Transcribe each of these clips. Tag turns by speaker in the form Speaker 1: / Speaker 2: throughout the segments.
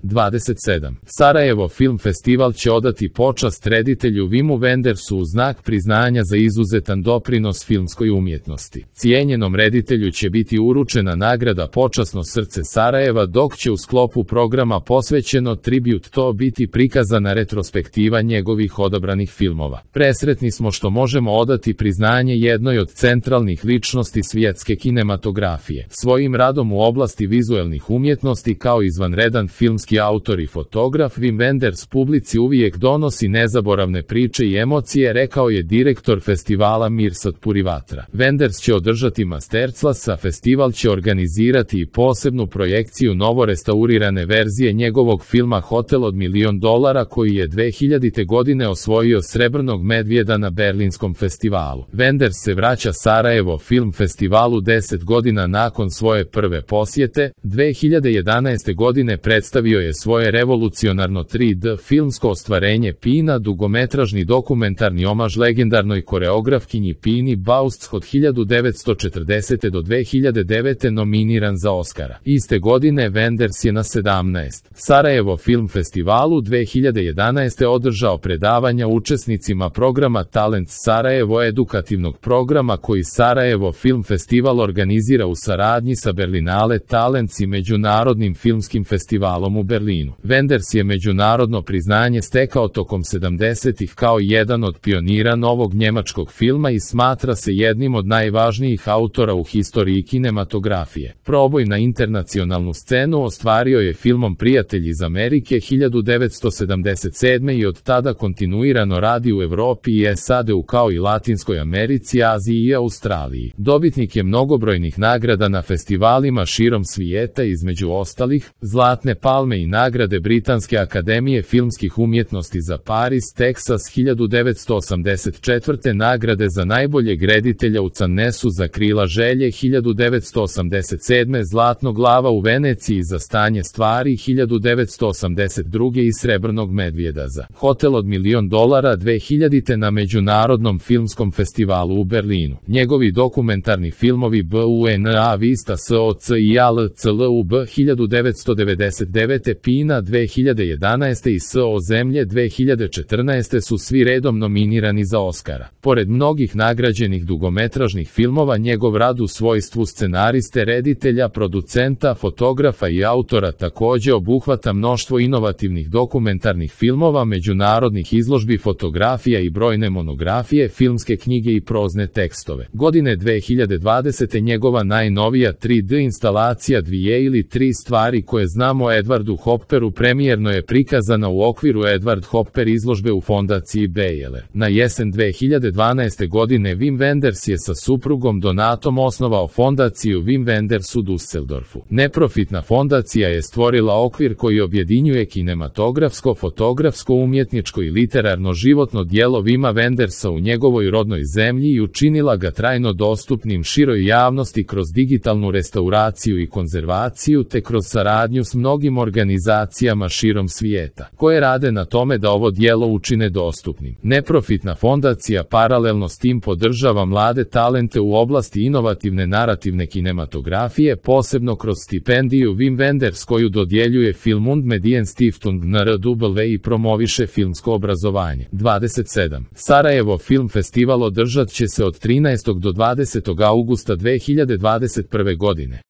Speaker 1: 27. Sarajevo Film Festival će odati počast reditelju Vimu Wendersu u znak priznanja za izuzetan doprinos filmskoj umjetnosti. Cijenjenom reditelju će biti uručena nagrada Počasno srce Sarajeva, dok će u sklopu programa posvećeno Tribute to biti prikazana retrospektiva njegovih odabranih filmova. Presretni smo što možemo odati priznanje jednoj od centralnih ličnosti svjetske kinematografije. Svojim radom u oblasti vizuelnih umjetnosti kao izvanredan filmski autor i fotograf, Wim Wenders publici uvijek donosi nezaboravne priče i emocije, rekao je direktor festivala Mirsad Purivatra. Wenders će održati masterclass, a festival će organizirati i posebnu projekciju novorestaurirane verzije njegovog filma Hotel od $1.000.000 koji je 2000. godine osvojio srebrnog medvjeda na Berlinskom festivalu. Wenders se vraća Sarajevo Film Festivalu 10 godina nakon svoje prve posjete. 2011. godine predstavio je svoje revolucionarno 3D filmsko ostvarenje Pina, dugometražni dokumentarni omaž legendarnoj koreografkinji Pini Bausch od 1940. do 2009. nominiran za Oscara. Iste godine Wenders je na 17. Sarajevo Film Festivalu 2011. održao predavanja učesnicima programa Talent Sarajevo, edukativnog programa koji Sarajevo Film Festival organizira u saradnji sa Berlinale Talents i Međunarodnim filmskim festivalom u Berlinu. Wenders je međunarodno priznanje stekao tokom 70-ih kao jedan od pionira novog njemačkog filma i smatra se jednim od najvažnijih autora u historiji kinematografije. Proboj na internacionalnu scenu ostvario je filmom Prijatelj iz Amerike 1977. i od tada kontinuirano radi u Evropi i SAD-u kao i Latinskoj Americi, Aziji i Australiji. Dobitnik je mnogobrojnih nagrada na festivalima širom svijeta, između ostalih Zlatne palme i nagrade Britanske akademije filmskih umjetnosti za Paris, Teksas 1984. nagrade za najboljeg reditelja u Cannesu za Krila želje 1987. Zlatnog glava u Veneciji za Stanje stvari 1982. i Srebrnog medvjeda za Hotel od $1.000.000 2000. na Međunarodnom filmskom festivalu u Berlinu. Njegovi dokumentarni filmovi BUNA Vista SOC i ALCLUB 1999. Pina 2011. i SO Zemlje 2014. su svi redom nominirani za Oscara. Pored mnogih nagrađenih dugometražnih filmova, njegov rad u svojstvu scenariste, reditelja, producenta, fotografa i autora također obuhvata mnoštvo inovativnih dokumentarnih filmova, međunarodnih izložbi fotografija i brojne monografije, filmske knjige i prozne tekstove. Godine 2020. njegova najnovija 3D instalacija Dvije ili tri stvari koje znamo o Edwardu Hopperu premijerno je prikazana u okviru Edward Hopper izložbe u fondaciji Beyeler. Na jesen 2012. godine Wim Wenders je sa suprugom Donatom osnovao fondaciju Wim Wenders u Düsseldorfu. Neprofitna fondacija je stvorila okvir koji objedinjuje kinematografsko, fotografsko, umjetničko i literarno životno djelo Wima Wendersa u njegovoj rodnoj zemlji i učinila ga trajno dostupnim široj javnosti kroz digitalnu restauraciju i konzervaciju te kroz saradnju s mnogim organizacijama širom svijeta, koje rade na tome da ovo djelo učine dostupnim. Neprofitna fondacija paralelno s tim podržava mlade talente u oblasti inovativne narativne kinematografije, posebno kroz stipendiju Wim Wenders koju dodjeljuje Film und Medien Stiftung NRW i promoviše filmsko obrazovanje. 27. Sarajevo Film Festival održat će se od 13. do 20. augusta 2021. godine.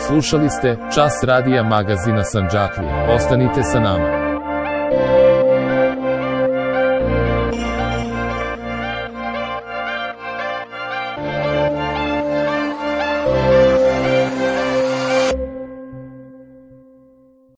Speaker 1: Slušali ste Čas radija magazina Sandžaklija. Ostanite sa nama.